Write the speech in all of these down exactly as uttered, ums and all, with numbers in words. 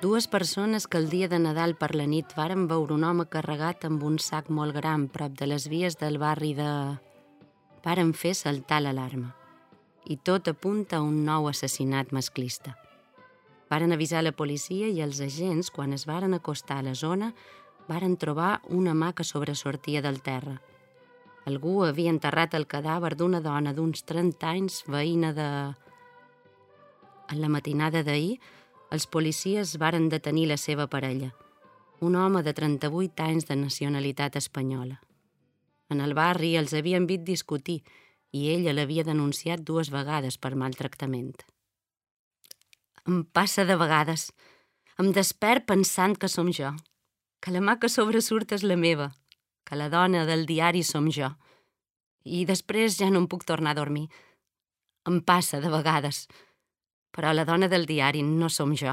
Dues persones que el dia de Nadal per la nit varen veure un home carregat amb un sac molt gran prop de les vies del barri de... varen fer saltar l'alarma. I tot apunta a un nou assassinat masclista. Varen avisar la policia i els agents, quan es varen acostar a la zona, varen trobar una mà que sobresortia del terra. Algú havia enterrat el cadàver d'una dona d'uns trenta anys, veïna de... En la matinada d'ahir, els policies varen detenir la seva parella, un home de trenta-vuit anys de nacionalitat espanyola. En el barri els havien vist discutir i ella l'havia denunciat dues vegades per maltractament. Em passa de vegades. Em despert pensant que som jo, que la mà que sobresurt és la meva, que la dona del diari som jo. I després ja no em puc tornar a dormir. Em passa de vegades. Però la dona del diari no som jo.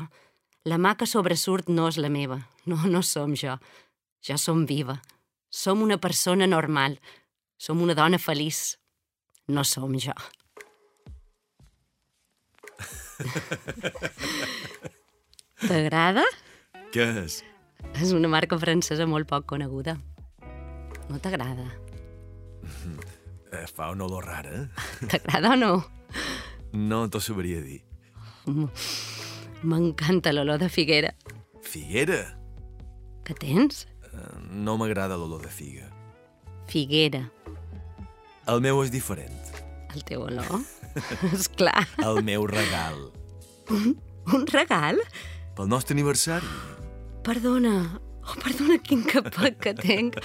La mà que sobresurt no és la meva. No, no som jo. Jo som viva. Som una persona normal. Som una dona feliç. No som jo. T'agrada? Què és? És una marca francesa molt poc coneguda. No t'agrada? Eh, fa una olor rara. T'agrada o no? No t'ho sabria dir. M'encanta l'olor de figuera. Figuera? Què tens? Eh, no m'agrada l'olor de figa. Figuera. El meu és diferent. El teu olor? Esclar. El meu regal. Un, un regal? Pel nostre aniversari. Perdona. Oh, perdona, quin capot que tenc.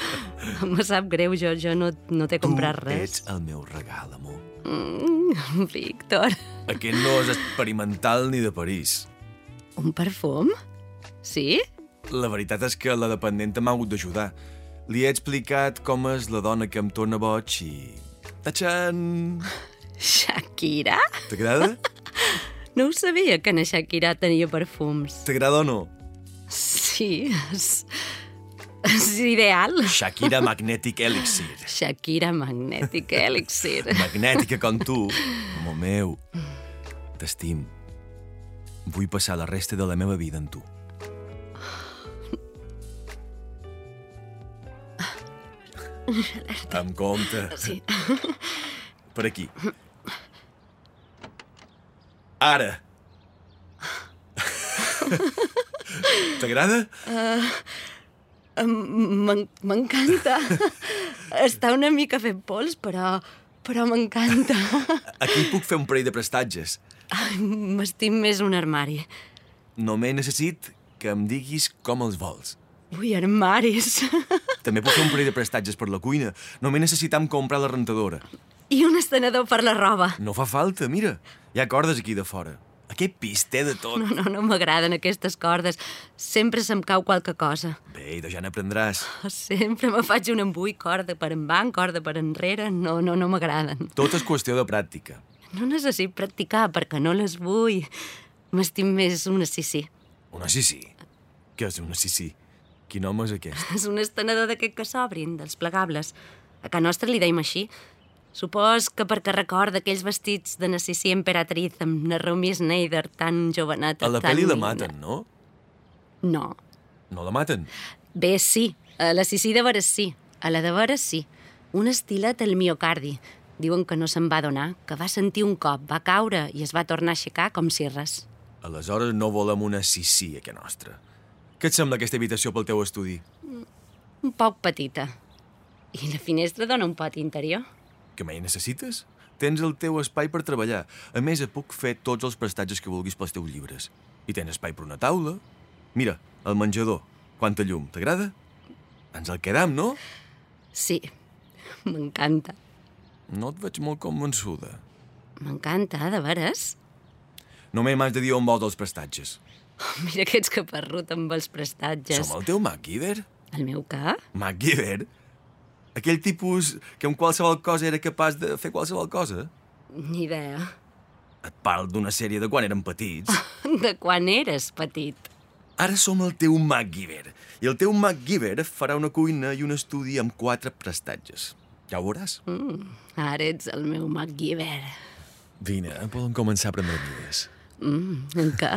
Me sap greu, jo, jo no, no t'he comprat Tu res. ets el meu regal, amor. Mm, Víctor. Aquest no és experimental ni de París. Un perfum? Sí? La veritat és que la dependenta m'ha hagut d'ajudar. Li he explicat com és la dona que em torna boig i... Tachan! Shakira? T'agrada? No ho sabia que na Shakira tenia perfums. T'agrada o no? Sí, és... és ideal. Shakira Magnetic Elixir. Shakira Magnetic Elixir. Magnètica com tu, amor meu. T'estim. Vull passar la resta de la meva vida amb tu. Amb compte. Sí. Per aquí. Ara. T'agrada? M'en- M'encanta. Està una mica fet pols, però... però m'encanta. Aquí puc fer un parell de prestatges. Ai, m'estim més un armari. Només necessit que em diguis com els vols. Ui, armaris. També puc fer un parell de prestatges per la cuina. Només necessitam comprar la rentadora. I un estenedor per la roba. No fa falta, mira. Hi ha cordes aquí de fora. Aquest pis té de tot. No, no, no m'agraden aquestes cordes. Sempre se'm cau qualque cosa. Bé, de ja n'aprendràs. Sempre me faig un embui, corda per envant, corda per enrere. No, no, no m'agraden. Tot és qüestió de pràctica. No necessit practicar perquè no les vull. M'estim més una sí-sí. Una sí-sí? Què és una sí-sí? Quin home és aquest? És un estenedor d'aquest que s'obrin, dels plegables. A casa nostra li deim així. Supos que perquè recorda aquells vestits de Narcissi Emperatriz amb Naomi Schneider tan joveneta. A la tan pel·li la digna. maten, no? No. No la maten? Bé, sí. A la Sissi de veres sí. A la de veres sí. Un estilet al miocardi. Diuen que no se'n va donar, que va sentir un cop, va caure i es va tornar a aixecar com si res. Aleshores no volem una sí-sí, a casa nostra. Què et sembla aquesta habitació pel teu estudi? Un poc petita. I la finestra dona un pati interior. Què mai necessites? Tens el teu espai per treballar. A més, et puc fer tots els prestatges que vulguis pels teus llibres. I tens espai per una taula. Mira, el menjador. Quanta llum, t'agrada? Ens el quedam, no? Sí, m'encanta. No et veig molt convençuda. M'encanta, de veres? Només m'has de dir on vols els prestatges. Oh, mira que ets caparrut amb els prestatges. Som el teu MacGyver? El meu què? MacGyver? Aquell tipus que amb qualsevol cosa era capaç de fer qualsevol cosa? Ni idea. Et parlo d'una sèrie de quan érem petits. De quan eres petit. Ara som el teu MacGyver. I el teu MacGyver farà una cuina i un estudi amb quatre prestatges. Ja ho veuràs. Mm, ara ets el meu MacGyver. Vine, podem començar a prendre mides. Mm, en què?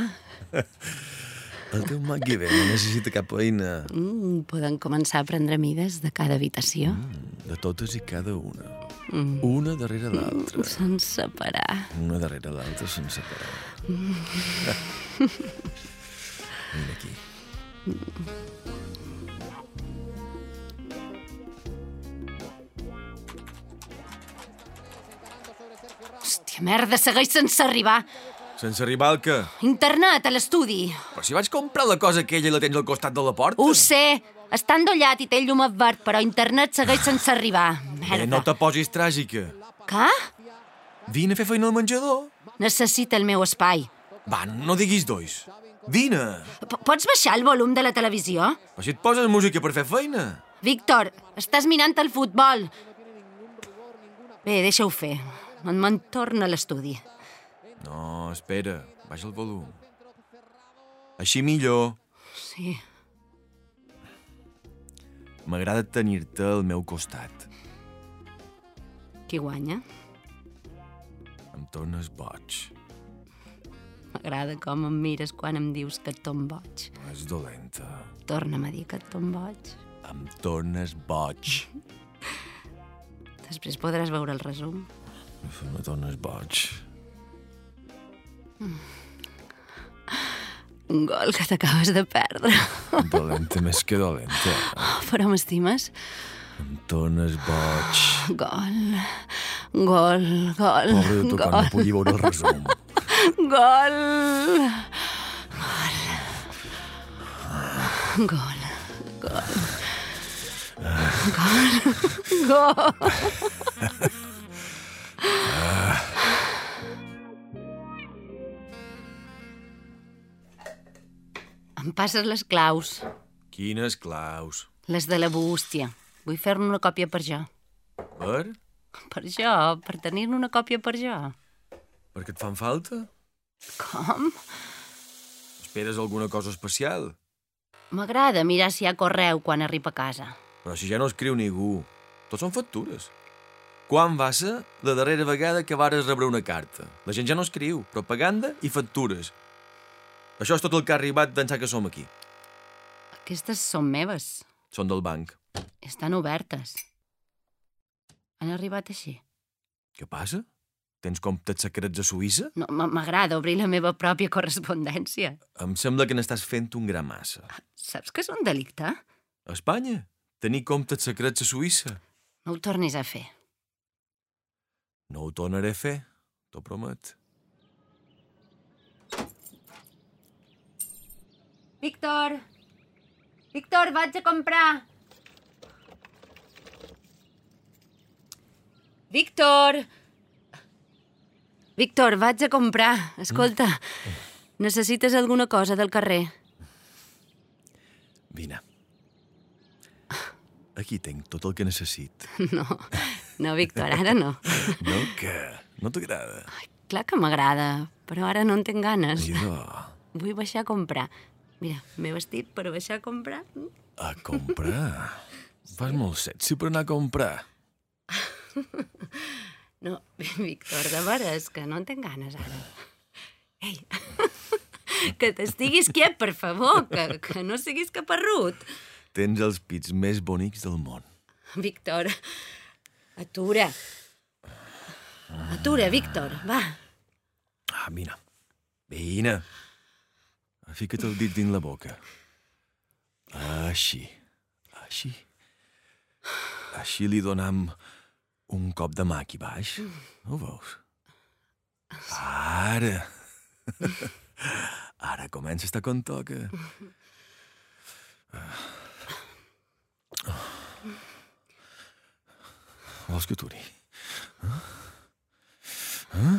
El teu magui bé, no necessita cap eina. Mm, poden començar a prendre mides de cada habitació. Mm, de totes i cada una. Mm. Una darrere l'altra. Mm, sense parar. Una darrere l'altra sense parar. Mm. Vine aquí. Mm. Hòstia, merda, segueix sense arribar. Sense arribar al què? Internet, a l'estudi. Però si vaig comprar la cosa aquella i la tens al costat de la porta. Ho sé. Està endollat i té el llum verd, però internet segueix sense arribar. Merda. Eh, no te posis tràgica. Què? Vine a fer feina al menjador. Necessita el meu espai. Va, no diguis dois. Vine. P Pots baixar el volum de la televisió? Però si et poses música per fer feina. Víctor, estàs mirant el futbol. Bé, deixa-ho fer. Me'n torno a l'estudi. No, espera. Baixa el volum. Així millor. Sí. M'agrada tenir-te al meu costat. Qui guanya? Em tornes boig. M'agrada com em mires quan em dius que et tom boig. És dolenta. Torna'm a dir que et tom boig. Em tornes boig. Després podràs veure el resum. Me tornes boig. Mm. Un gol que t'acabes de perdre. Dolenta més que dolenta. Oh, però m'estimes? Em tornes boig. Gol, gol, gol. Pobre de tu, quan no pugui veure el resum. Gol. Gol. Gol. Gol. Gol. Gol. Em passes les claus. Quines claus? Les de la bústia. Vull fer-ne una còpia per jo. Per? Per jo, per tenir-ne una còpia per jo. Perquè et fan falta? Com? Esperes alguna cosa especial? M'agrada mirar si hi ha correu quan arriba a casa. Però si ja no escriu ningú. Tots són factures. Quan va ser la darrera vegada que vares rebre una carta? La gent ja no escriu. Propaganda i factures. Això és tot el que ha arribat d'ençà que som aquí. Aquestes són meves. Són del banc. Estan obertes. Han arribat així. Què passa? Tens comptes secrets a Suïssa? No, m'agrada obrir la meva pròpia correspondència. Em sembla que n'estàs fent un gra massa. Saps que és un delicte? A Espanya? Tenir comptes secrets a Suïssa? No ho tornis a fer. No ho tornaré a fer, t'ho promet. Víctor! Víctor, vaig a comprar! Víctor! Víctor, vaig a comprar. Escolta, necessites alguna cosa del carrer? Vine. Aquí tinc tot el que necessit. No, no, Víctor, ara no. No, què? No t'agrada? Ai, clar que m'agrada, però ara no en tinc ganes. Mira. Vull baixar a comprar. Mira, m'he vestit per baixar a comprar. A comprar? Fas molt sexy per anar a comprar. No, Víctor, de veres, que no en tinc ganes ara. Ei, que t'estiguis quiet, per favor, que, que no siguis caparrut. Tens els pits més bonics del món. Víctor, atura. Atura, Víctor, va. Ah, vine. Vine. Fica't el dit dins la boca. Així. Així. Així li donam un cop de mà aquí baix. Ho veus? Ara. Ara comença a estar com toca. Vols que aturi? Eh? Eh?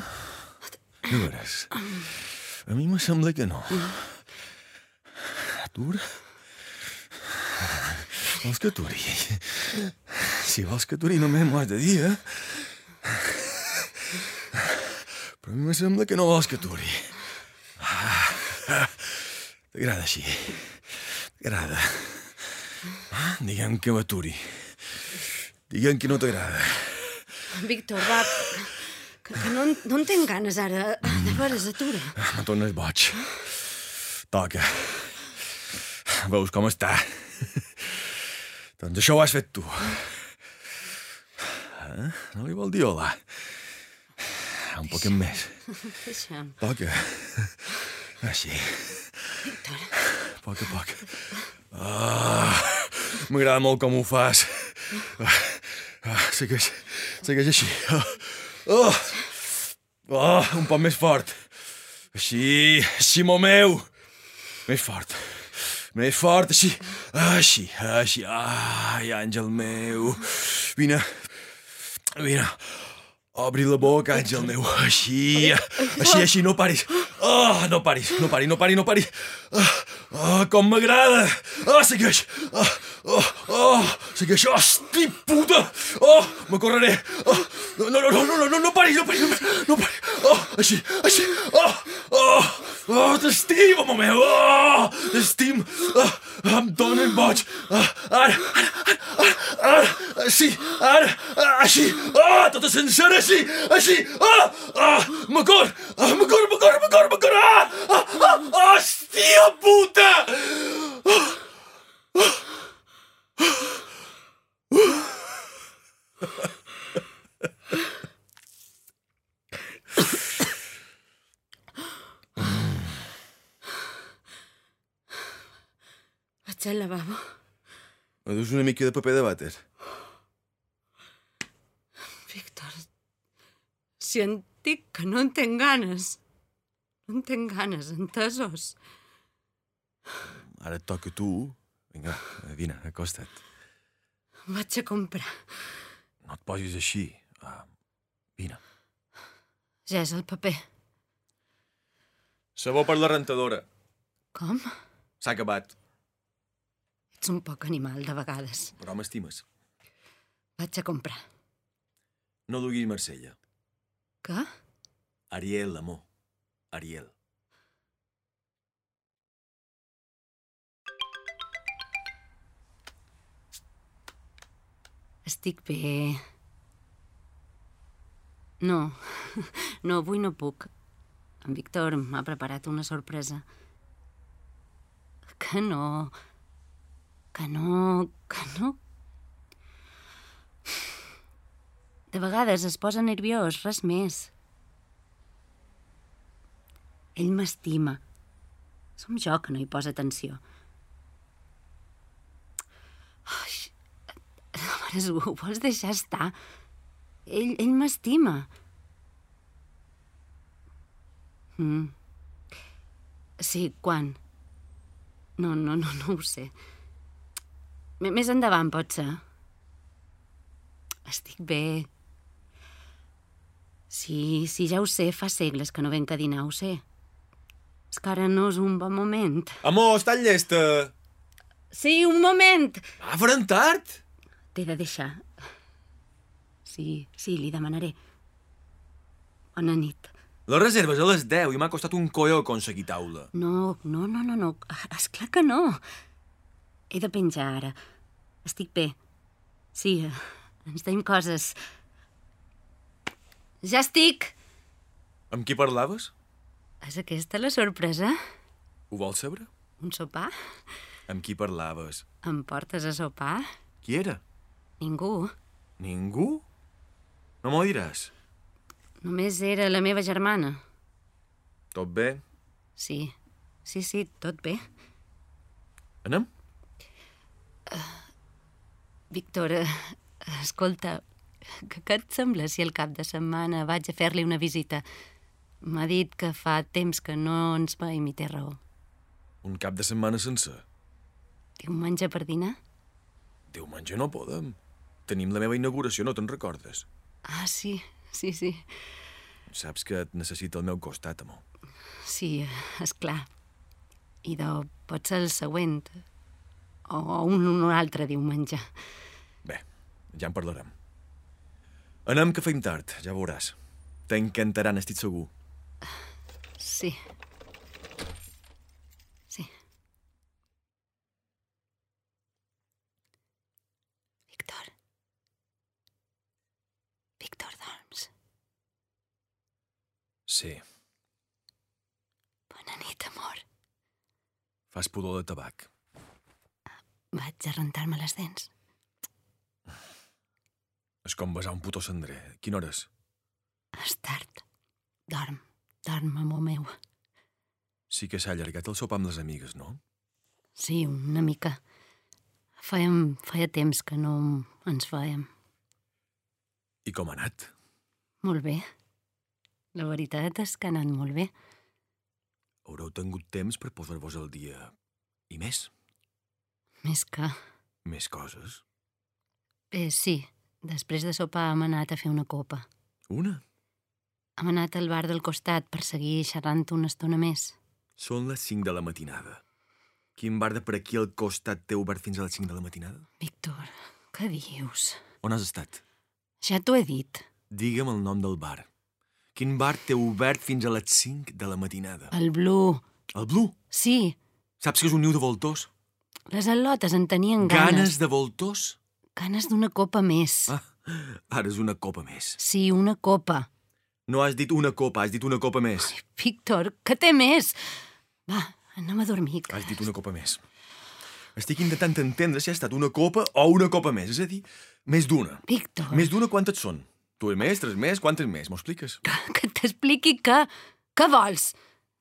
De veres? A mi me sembla que no. Atura? Vols que aturi? Si vols que aturi només m'ho has de dir, eh? Però a mi me sembla que no vols que aturi. T'agrada així. T'agrada. Digue'm que m'aturi. Digue'm que no t'agrada. Víctor, va, que, que no, no en tinc ganes ara. De veres, atura. No tornes boig. Toca. veus com està. Doncs això ho has fet tu. Eh? No li vol dir hola? Un poquet més. Deixa'm. Toca. Així. Víctor. A poc a poc. Ah, m'agrada molt com ho fas. Ah, ah, segueix, segueix així. Oh, oh, un poc més fort. Així, així, molt meu. Més fort. Més fort, així. Així, així. Ai, àngel meu. Vine. Vine. Obri la boca, àngel meu. Així, així, així, no paris. Oh, no paris, no paris, no paris, no paris. Oh, oh, com m'agrada. Oh, segueix. Oh, oh, oh, segueix. Hosti, puta. Oh, me correré. Oh, no, no, no, no, no, no paris, no paris, no paris. Oh, així, així. Oh, oh, oh, t'estimo, home meu. Oh, t'estim. Oh, em donen boig. Oh, ara, ara, ara, ara, sí, ara, així. Oh, tota sencera, així, així. Oh, oh, me cor, oh, me cor, me cor, me cor, me cor. Ah, ah, ah, hòstia puta. Oh, oh, oh. Vaig al lavabo. Me dus una mica de paper de vàter? Víctor, si en dic que no en tinc ganes. No en tinc ganes, entesos? Ara et toca a tu. Vinga, vine, acosta't. Vaig a comprar. No et posis així. Ah, vine. Ja és el paper. Sabó per la rentadora. Com? S'ha acabat. Ets un poc animal, de vegades. Però m'estimes. Vaig a comprar. No duguis Marsella. Què? Ariel, amor. Ariel. Estic bé. No, no, avui no puc. En Víctor m'ha preparat una sorpresa. Que no... Que no... Que no... De vegades es posa nerviós, res més. Ell m'estima. Som jo que no hi posa atenció. Ai, mares, ho vols deixar estar? Ell, ell m'estima. Mm. Sí, quan? No, no, no, no ho sé. M- Més endavant, pot ser. Estic bé. Sí, sí, ja ho sé, fa segles que no venc a dinar, ho sé. És que ara no és un bon moment. Amor, estàs llesta? Sí, un moment! Va, faran tard! T'he de deixar. Sí, sí, li demanaré. Bona nit. Les reserves a les deu i m'ha costat un colló aconseguir taula. No, no, no, no, no. Esclar que no. He de penjar ara. Estic bé. Sí, ens deim coses. Ja estic! Amb qui parlaves? És aquesta la sorpresa? Ho vols saber? Un sopar? Amb qui parlaves? Em portes a sopar? Qui era? Ningú. Ningú? No m'ho diràs? Només era la meva germana. Tot bé? Sí, sí, sí, tot bé. Anem? Víctor, eh, escolta, que, què et sembla si el cap de setmana vaig a fer-li una visita? M'ha dit que fa temps que no ens veiem i té raó. Un cap de setmana sencer? Diumenge per dinar? Diumenge no podem. Tenim la meva inauguració, no te'n recordes? Ah, sí, sí, sí. Saps que et necessita al meu costat, amor. Sí, és clar. I de pot ser el següent. O un, un altre diumenge. Bé, ja en parlarem. Anem que feim tard, ja veuràs. T'encantarà, n'estic segur. Sí. Sí. Víctor. Víctor, dorms. Sí, Bona nit, amor. fas pudor de tabac. Vaig a rentar-me les dents. És com besar un puto cendrer. Quina hora és? És tard. Dorm, dorm, amor meu. Sí que s'ha allargat el sopar amb les amigues, no? Sí, una mica. Fèiem, feia temps que no ens veiem. I com ha anat? Molt bé. La veritat és que ha anat molt bé. Haureu tingut temps per posar-vos al dia. I més? Més que... Més coses? Eh, sí. Després de sopar hem anat a fer una copa. Una? Hem anat al bar del costat per seguir xerrant una estona més. Són les cinc de la matinada. Quin bar de per aquí al costat té obert fins a les cinc de la matinada? Víctor, què dius? On has estat? Ja t'ho he dit. Digue'm el nom del bar. Quin bar té obert fins a les cinc de la matinada? El Blue. El Blue? Sí. Saps que és un niu de voltors? Les al·lotes en tenien ganes. Ganes de voltors? Ganes d'una copa més. Ah, ara és una copa més. Sí, una copa. No has dit una copa, has dit una copa més. Ai, Víctor, què té més? Va, anem a dormir. Has dit una copa més. Estic intentant entendre si ha estat una copa o una copa més. És a dir, més d'una. Víctor. Més d'una quantes són? Dues més, tres més, quantes més? M'ho expliques? Que, que t'expliqui què? Què vols?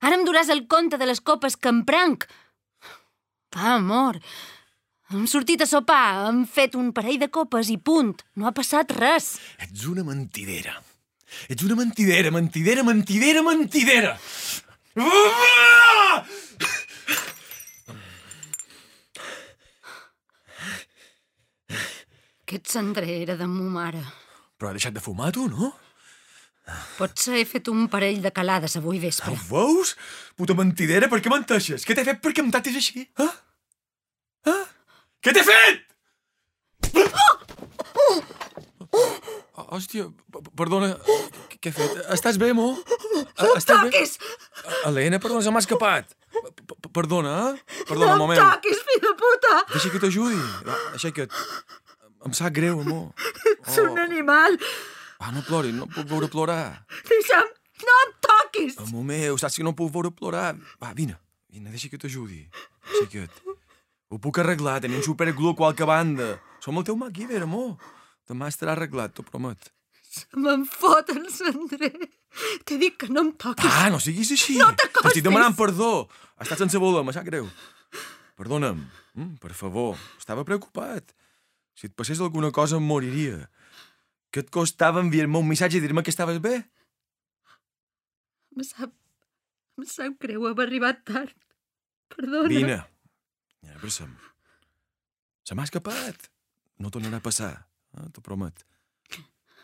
Ara em duràs el compte de les copes que em prenc. Ah, amor, hem sortit a sopar, hem fet un parell de copes i punt. No ha passat res. Ets una mentidera. Ets una mentidera, mentidera, mentidera, mentidera. Ah! Aquest cendrer era de mo mare. Però ha deixat de fumar, tu, no? Potser he fet un parell de calades avui vespre. Ho veus? Puta mentidera, per què menteixes? Què t'he fet perquè em tractis així? Ah? Ah? Què t'he fet? Oh, hòstia, perdona, què he fet? Estàs bé, amor? No em toquis! Helena, perdona, se m'ha escapat. Perdona, eh? Perdona, no amor em meu. toquis, fill de puta! Deixa que t'ajudi. Va, aixeca't. Em sap greu, amor. Ets un animal. Ah, no ploris, no puc veure plorar. Deixa'm, no em toquis! Amor meu, saps que no puc veure plorar. Va, vine, vine, deixa que t'ajudi. Aixeca't. Ho puc arreglar, tenim superglue a qualque banda. Som el teu MacGyver, amor. Demà estarà arreglat, t'ho promet. Se me'n fot el cendrer. T'he dit que no em toquis. Ah, no siguis així. No t'acostis. T'estic demanant perdó. Ha estat sense voler, me sap greu. Perdona'm, mm, per favor. Estava preocupat. Si et passés alguna cosa em moriria. Què et costava enviar-me un missatge i dir-me que estaves bé? Em sap... Em sap greu haver arribat tard. Perdona. Vine. Ja, abraça'm. Se m'ha escapat. No tornarà a passar, eh? T'ho promet.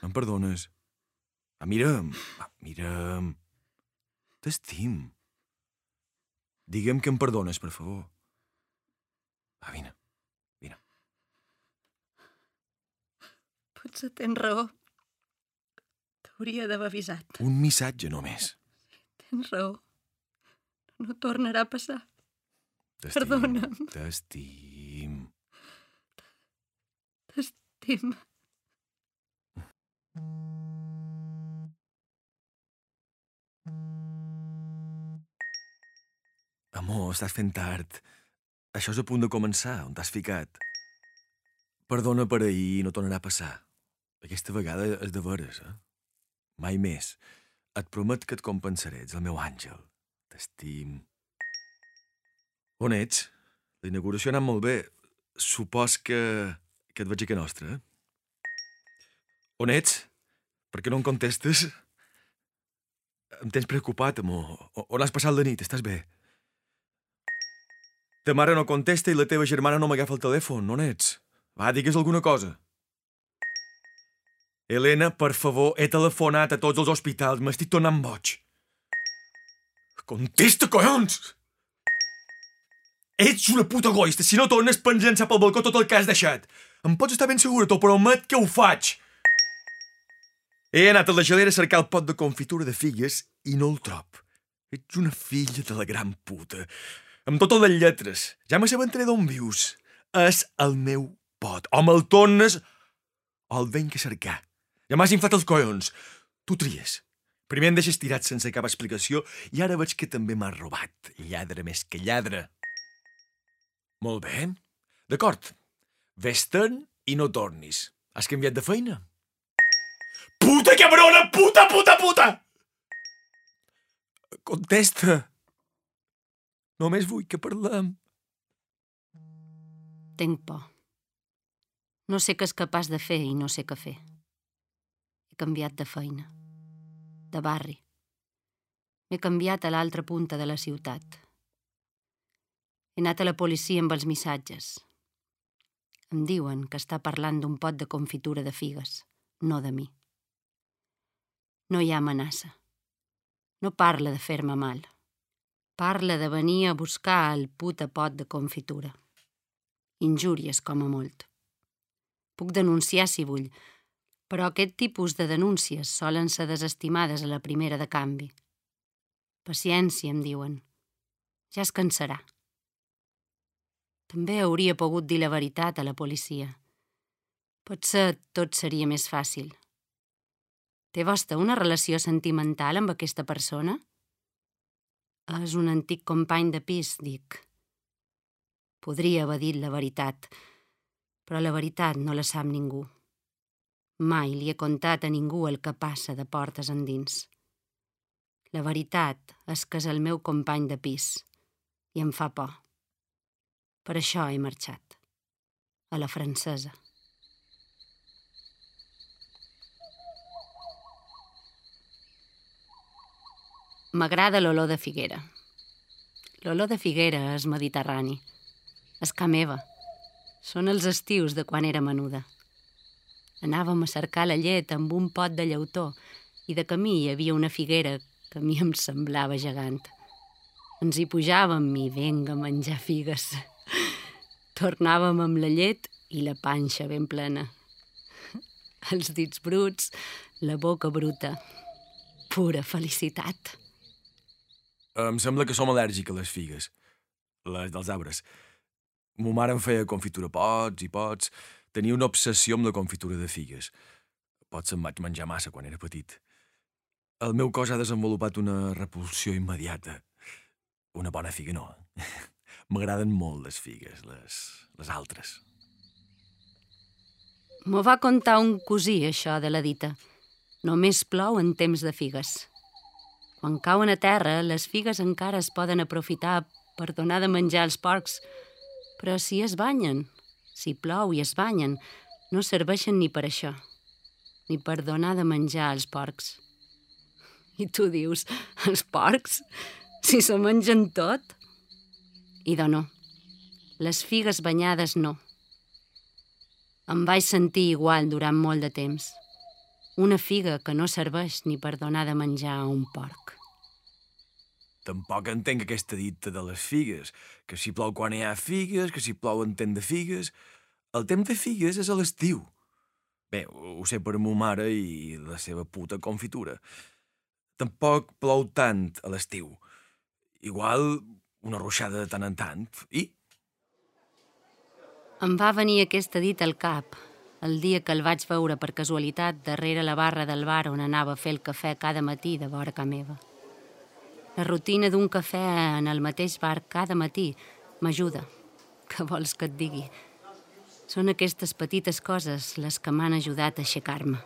Em perdones? Ah, mira'm. Ah, mira'm. T'estim. Digue'm que em perdones, per favor. Va, vine. Vine. Potser tens raó. T'hauria d'haver avisat. Un missatge només. Tens raó. No tornarà a passar. T'estim. Perdona'm. T'estim. T'estim. Amor, estàs fent tard. Això és a punt de començar. On t'has ficat? Perdona per ahir, no tornarà a passar. Aquesta vegada és de veres, eh? Mai més. Et promet que et compensaré. Ets el meu àngel. T'estim. On ets? La inauguració ha anat molt bé. Supos que... que et veig a casa nostra, eh? On ets? Per què no em contestes? Em tens preocupat, amor. On has passat la nit? Estàs bé? Ta mare no contesta i la teva germana no m'agafa el telèfon. On ets? Va, digues alguna cosa. Helena, per favor, he telefonat a tots els hospitals. M'estic tornant boig. Contesta, collons! Ets una puta egoista. Si no tornes, pots llançar pel balcó tot el que has deixat. Em pots estar ben segura, t'ho promet que ho faig. He anat a la gelera a cercar el pot de confitura de figues i no el trob. Ets una filla de la gran puta. Amb totes les lletres. Ja m'assabentaré d'on vius. És el meu pot. O me'l tornes o el venc a cercar. Ja m'has inflat els collons. Tu tries. Primer em deixes tirat sense cap explicació i ara veig que també m'has robat. Lladre més que lladre. Molt bé. D'acord. Vés-te'n i no tornis. Has canviat de feina? Puta cabrona! Puta, puta, puta! Contesta. Només vull que parlem. Tenc por. No sé què és capaç de fer i no sé què fer. He canviat de feina, de barri. M'he canviat a l'altra punta de la ciutat. He anat a la policia amb els missatges. Em diuen que està parlant d'un pot de confitura de figues, no de mi. No hi ha amenaça. No parla de fer-me mal. Parla de venir a buscar el puta pot de confitura. Injúries, com a molt. Puc denunciar si vull, però aquest tipus de denúncies solen ser desestimades a la primera de canvi. Paciència, em diuen. Ja es cansarà. També hauria pogut dir la veritat a la policia. Potser tot seria més fàcil. Té vostè una relació sentimental amb aquesta persona? És un antic company de pis, dic. Podria haver dit la veritat, però la veritat no la sap ningú. Mai li he contat a ningú el que passa de portes endins. La veritat és que és el meu company de pis i em fa por. Per això he marxat. A la francesa. M'agrada l'olor de figuera. L'olor de figuera és mediterrani. És ca meva. Són els estius de quan era menuda. Anàvem a cercar la llet amb un pot de llautó i de camí hi havia una figuera que a mi em semblava gegant. Ens hi pujàvem i vinga a menjar figues. Tornàvem amb la llet i la panxa ben plena. Els dits bruts, la boca bruta. Pura felicitat. Em sembla que som al·lèrgics a les figues, les dels arbres. Mo mare em feia confitura pots i pots. Tenia una obsessió amb la confitura de figues. Potser em vaig menjar massa quan era petit. El meu cos ha desenvolupat una repulsió immediata. Una bona figa no. M'agraden molt les figues, les, les altres. M'ho va contar un cosí, això de la dita. Només plou en temps de figues. Quan cauen a terra, les figues encara es poden aprofitar per donar de menjar als porcs, però si es banyen, si plou i es banyen, no serveixen ni per això, ni per donar de menjar als porcs. I tu dius, els porcs? Si s'ho mengen tot? Idò no. Les figues banyades no. Em vaig sentir igual durant molt de temps. Una figa que no serveix ni per donar de menjar a un porc. Tampoc entenc aquesta dita de les figues, que si plou quan hi ha figues, que si plou en temps de figues. El temps de figues és a l'estiu. Bé, ho sé per ma mare i la seva puta confitura. Tampoc plou tant a l'estiu. Igual una ruixada de tant en tant. I? Em va venir aquesta dita al cap, el dia que el vaig veure per casualitat darrere la barra del bar on anava a fer el cafè cada matí de vora ca meva. La rutina d'un cafè en el mateix bar cada matí m'ajuda. Què vols que et digui? Són aquestes petites coses les que m'han ajudat a aixecar-me.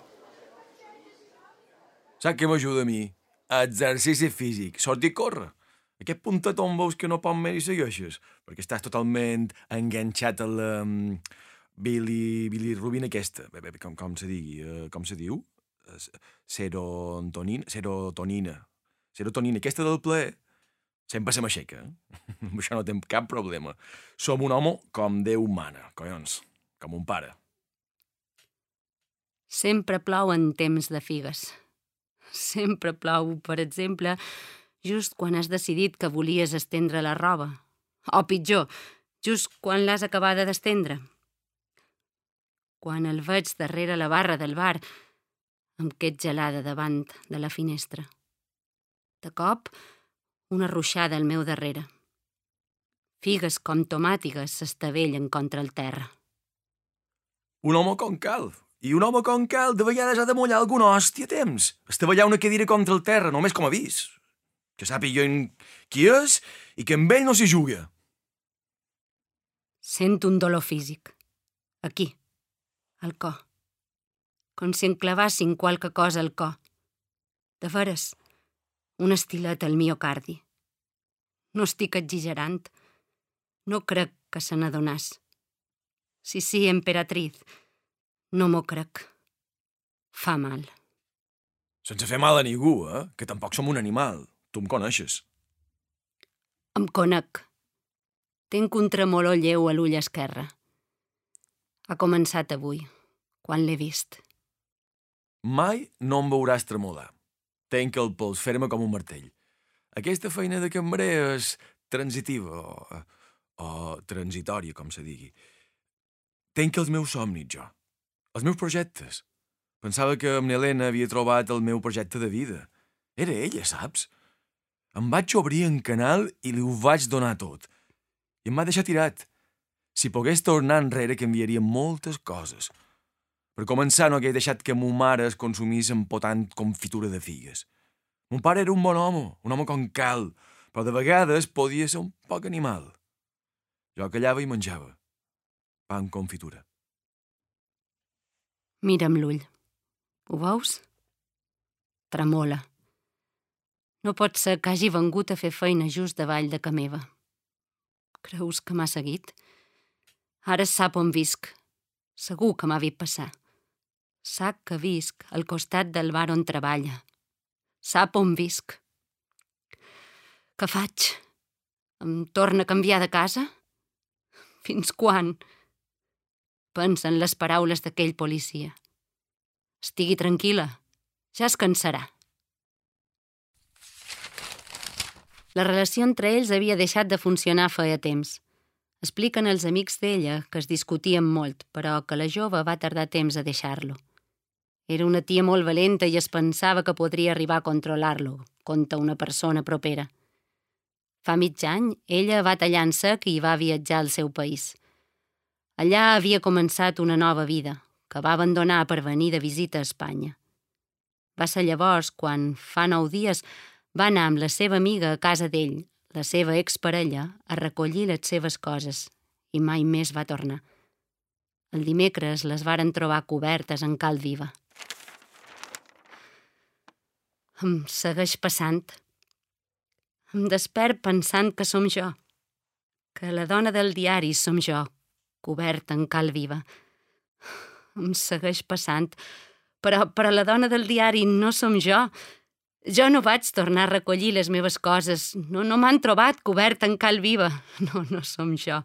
Saps què m'ajuda a mi? Exercici físic, sortir a córrer. Aquest puntet on veus que no pot més i segueixes, perquè estàs totalment enganxat a la um, Billy, Billy Rubin aquesta. Bé, bé, com, com se digui, uh, com se diu? Uh, serotonina, serotonina. Serotonina, aquesta del plaer, sempre se m'aixeca. Eh? Amb això no tinc cap problema. Som un home com Déu mana, collons, com un pare. Sempre plou en temps de figues. Sempre plou, per exemple, just quan has decidit que volies estendre la roba. O pitjor, just quan l'has acabada d'estendre. Quan el veig darrere la barra del bar, em qued gelada davant de la finestra. De cop, una ruixada al meu darrere. Figues com tomàtigues s'estavellen contra el terra. Un home com cal. I un home com cal de vegades ha de mullar alguna hòstia a temps. Estavellar una cadira contra el terra, només com a avís. Que sàpiga qui és i que amb ell no s'hi juga. Sento un dolor físic. Aquí, al cor. Com si em clavassin qualque cosa al cor. De veres, un estilet al miocardi. No estic exagerant. No crec que se n'adonàs. Sí, sí, emperatriz. No m'ho crec. Fa mal. Sense fer mal a ningú, eh? Que tampoc som un animal. Tu em coneixes. Em conec. Tinc un tremolor lleu a l'ull esquerre. Ha començat avui, quan l'he vist. Mai no em veuràs tremolar. Tenc el pols ferma com un martell. Aquesta feina de cambrer és transitiva o, o transitòria, com se digui. Tenc els meus somnis, jo. Els meus projectes. Pensava que amb Helena havia trobat el meu projecte de vida. Era ella, saps? Em vaig obrir en canal i li ho vaig donar tot. I em va deixar tirat. Si pogués tornar enrere canviaria moltes coses. Per començar, no hagués deixat que mo mare es consumís empotant confitura de figues. Mon pare era un bon home, un home com cal, però de vegades podia ser un poc animal. Jo callava i menjava. Pa amb confitura. Mira'm l'ull. Ho veus? Tremola. No pot ser que hagi vengut a fer feina just davall de ca meva. Creus que m'ha seguit? Ara sap on visc. Segur que m'ha vist passar. Sap que visc al costat del bar on treballa. Sap on visc. Què faig? Em torna a canviar de casa? Fins quan? Pensa en les paraules d'aquell policia. Estigui tranquil·la. Ja es cansarà. La relació entre ells havia deixat de funcionar feia temps. Expliquen els amics d'ella que es discutien molt, però que la jove va tardar temps a deixar-lo. Era una tia molt valenta i es pensava que podria arribar a controlar-lo, contra una persona propera. Fa mig any, ella va tallar en sec i va viatjar al seu país. Allà havia començat una nova vida, que va abandonar per venir de visita a Espanya. Va ser llavors quan, fa nou dies, va anar amb la seva amiga a casa d'ell, la seva exparella, a recollir les seves coses, i mai més va tornar. El dimecres les varen trobar cobertes en cal viva. Em segueix passant. Em despert pensant que som jo, que la dona del diari som jo, coberta en cal viva. Em segueix passant, però, però la dona del diari no som jo. Jo no vaig tornar a recollir les meves coses. No, no m'han trobat coberta en cal viva. No, no som jo.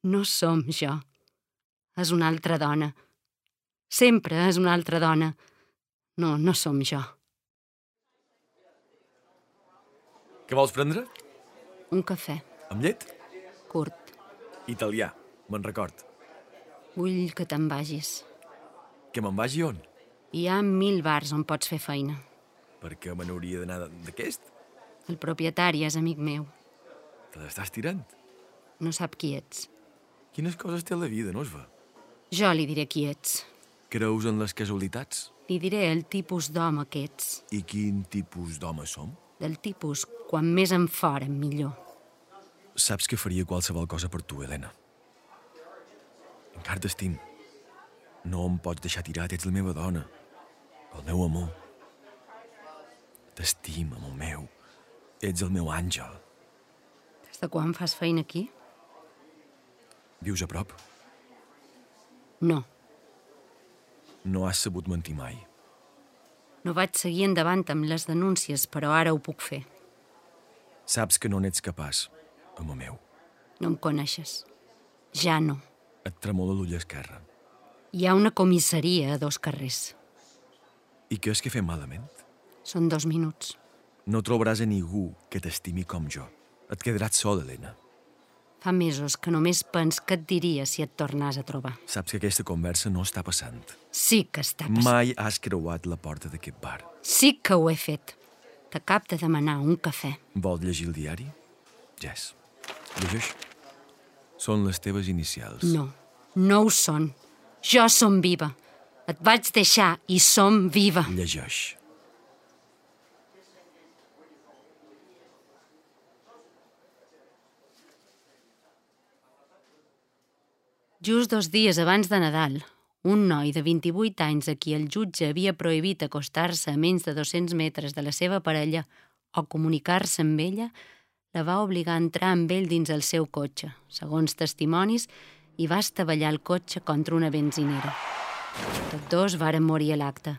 No som jo. És una altra dona. Sempre és una altra dona. No, no som jo. Què vols prendre? Un cafè. Amb llet? Curt. Italià, me'n record. Vull que te'n vagis. Que me'n vagi on? Hi ha mil bars on pots fer feina. Per què me n'hauria d'anar d'aquest? El propietari és amic meu. Te l'estàs tirant? No sap qui ets. Quines coses té la vida, no es va? Jo li diré qui ets. Creus en les casualitats? Li diré el tipus d'home que ets. I quin tipus d'home som? Del tipus, quan més en fora, millor. Saps que faria qualsevol cosa per tu, Helena. Encara t'estim. No em pots deixar tirat, ets la meva dona. El meu amor. T'estim, amor meu. Ets el meu àngel. Des de quan fas feina aquí? Vius a prop? No. No has sabut mentir mai. No vaig seguir endavant amb les denúncies, però ara ho puc fer. Saps que no n'ets capaç, amor meu. No em coneixes. Ja no. Et tremola l'ull esquerre. Hi ha una comissaria a dos carrers. I què és que fem malament? Són dos minuts. No trobaràs a ningú que t'estimi com jo. Et quedaràs sol, Helena. Fa mesos que només pens què et diria si et tornàs a trobar. Saps que aquesta conversa no està passant. Sí que està passant. Mai has creuat la porta d'aquest bar. Sí que ho he fet. T'acab de demanar un cafè. Vols llegir el diari? Jess, llegeix. Són les teves inicials. No, no ho són. Jo som viva. Et vaig deixar i som viva. Llegeix. Just dos dies abans de Nadal, un noi de vint-i-vuit anys a qui el jutge havia prohibit acostar-se a menys de dos-cents metres de la seva parella o comunicar-se amb ella, la va obligar a entrar amb ell dins el seu cotxe, segons testimonis, i va estavellar el cotxe contra una benzinera. Tots dos varen morir a l'acte.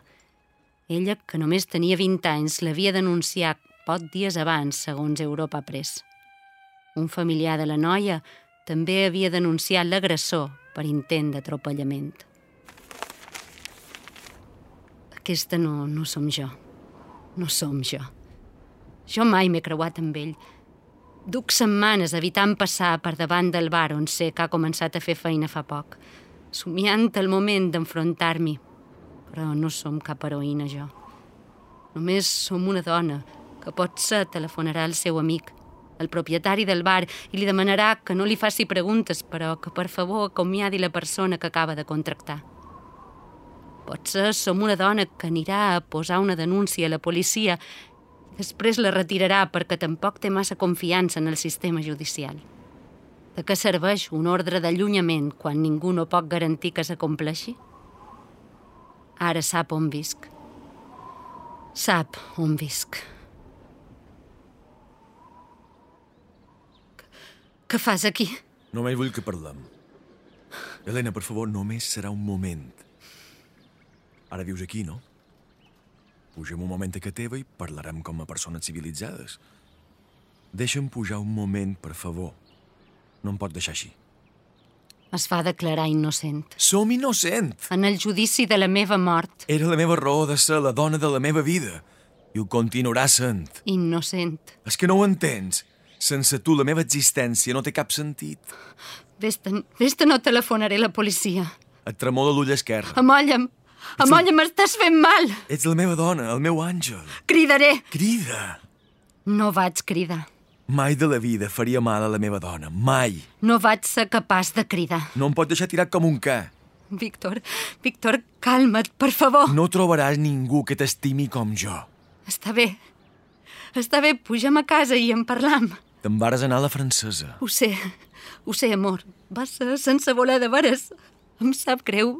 Ella, que només tenia vint anys, l'havia denunciat pocs dies abans, segons Europa Press. Un familiar de la noia també havia denunciat l'agressor per intent d'atropellament. Aquesta no, no som jo. No som jo. Jo mai m'he creuat amb ell. Duc setmanes evitant passar per davant del bar on sé que ha començat a fer feina fa poc, somiant el moment d'enfrontar-m'hi. Però no som cap heroïna, jo. Només som una dona que potser telefonarà al seu amic, el propietari del bar, i li demanarà que no li faci preguntes, però que per favor acomiadi la persona que acaba de contractar. Potser som una dona que anirà a posar una denúncia a la policia i després la retirarà perquè tampoc té massa confiança en el sistema judicial. De què serveix un ordre d'allunyament quan ningú no pot garantir que s'acompleixi? Ara sap on visc. Sap on visc. Què fas aquí? Només vull que parlem. Helena, per favor, només serà un moment. Ara vius aquí, no? Pugem un moment a casa teva i parlarem com a persones civilitzades. Deixa'm pujar un moment, per favor. No em pot deixar així. Es va declarar innocent. Som innocent! En el judici de la meva mort. Era la meva raó de ser la dona de la meva vida. I ho continuarà sent. Innocent. És que no ho entens. Sense tu, la meva existència no té cap sentit. Vés-te'n, vés-te'n, no telefonaré a la policia. Et tremola l'ull esquerre. Amolla'm. Amolla'm, m'estàs fent mal. Ets la meva dona, el meu àngel. Cridaré. Crida. No vaig cridar. Mai de la vida faria mal a la meva dona. Mai. No vaig ser capaç de cridar. No em pot deixar tirat com un ca. Víctor, Víctor, calma't, per favor. No trobaràs ningú que t'estimi com jo. Està bé. Està bé, pugem a casa i en parlam. Te'n vares anar a la francesa. Ho sé, ho sé, amor. Va ser sense voler de veres. Em sap greu.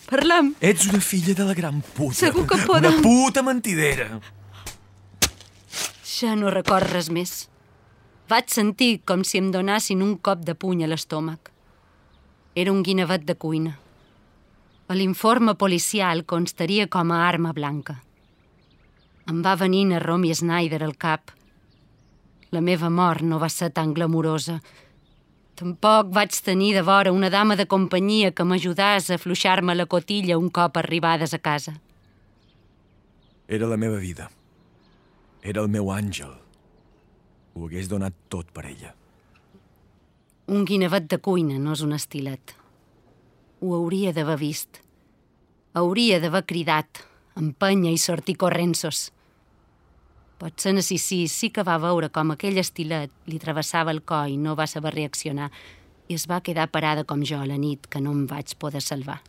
Parlam. Ets una filla de la gran puta. Segur que podem. Una puta mentidera. Ja no record res més. Vaig sentir com si em donassin un cop de puny a l'estómac. Era un guinevet de cuina. A l'informe policial constaria com a arma blanca. Em va venir a Romy Schneider al cap. La meva mort no va ser tan glamurosa. Tampoc vaig tenir de vora una dama de companyia que m'ajudàs a afluixar-me la cotilla un cop arribades a casa. Era la meva vida. Era el meu àngel. Ho hagués donat tot per ella. Un guinevet de cuina no és un estilet. Ho hauria d'haver vist. Hauria d'haver cridat, empenya i sortir correnços. Potser en Assisi sí que va veure com aquell estilet li travessava el coll i no va saber reaccionar i es va quedar parada com jo a la nit que no em vaig poder salvar.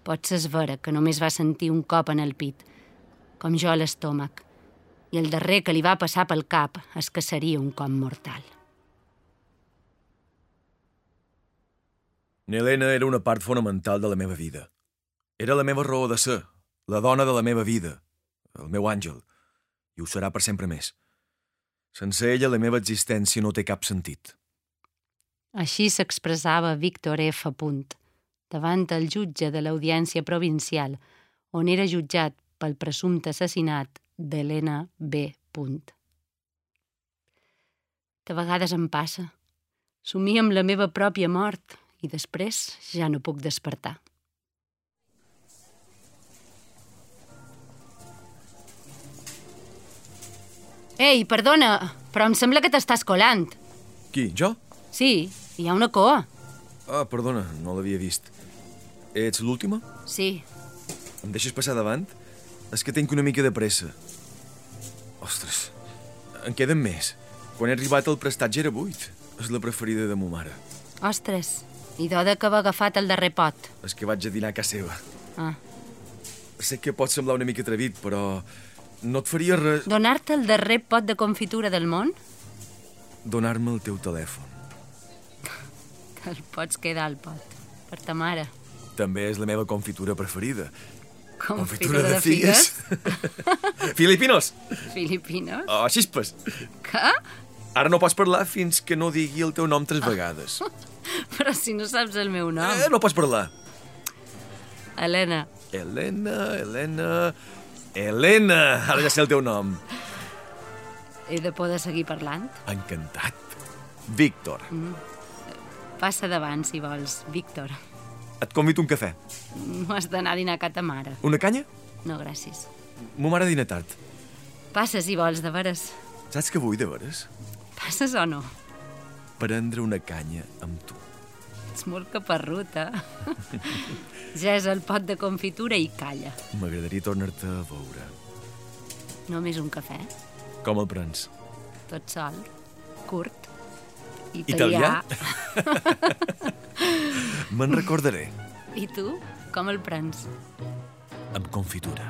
Potser és vera que només va sentir un cop en el pit, com jo a l'estómac, i el darrer que li va passar pel cap és que seria un cop mortal. Helena era una part fonamental de la meva vida. Era la meva raó de ser, la dona de la meva vida, el meu àngel, i ho serà per sempre més. Sense ella, la meva existència no té cap sentit. Així s'expressava Víctor F. Punt, davant el jutge de l'Audiència Provincial, on era jutjat pel presumpte assassinat d'Helena B. Punt. De vegades em passa. Somio amb la meva pròpia mort i després ja no puc despertar. Ei, perdona, però em sembla que t'estàs colant. Qui, jo? Sí, hi ha una coa. Ah, perdona, no l'havia vist. Ets l'última? Sí. Em deixes passar davant? És que tinc una mica de pressa. Ostres, en queden més. Quan he arribat el prestatge era buit. És la preferida de mo mare. Ostres, i d'oda que va agafat el darrer pot. És que vaig a dinar a casa seva. Ah. Sé que pot semblar una mica atrevit, però no et faria res... Donar-te el darrer pot de confitura del món? Donar-me el teu telèfon. El pots quedar al pot, per ta mare. També és la meva confitura preferida. Confitura de figues? Filipinos! Filipinos? Oh, xispes! Què? Ara no pots parlar fins que no digui el teu nom tres vegades. Però si no saps el meu nom. Eh, no pots parlar. Helena. Helena, Helena... Helena! Ara ja sé el teu nom. He de poder seguir parlant? Encantat. Víctor. Mm. Passa davant, si vols, Víctor. Et convido un cafè. No has d'anar a dinar a ca ta mare. Una canya? No, gràcies. Mo mare dina tard. Passa, si vols, de veres. Saps què vull, de veres? Passes o no? Prendre una canya amb tu. Ets molt caparrut, eh? Ja és el pot de confitura i calla. M'agradaria tornar-te a veure. Només un cafè? Com el prens? Tot sol, curt, italià. Italià? Me'n recordaré. I tu, com el prens? Amb confitura.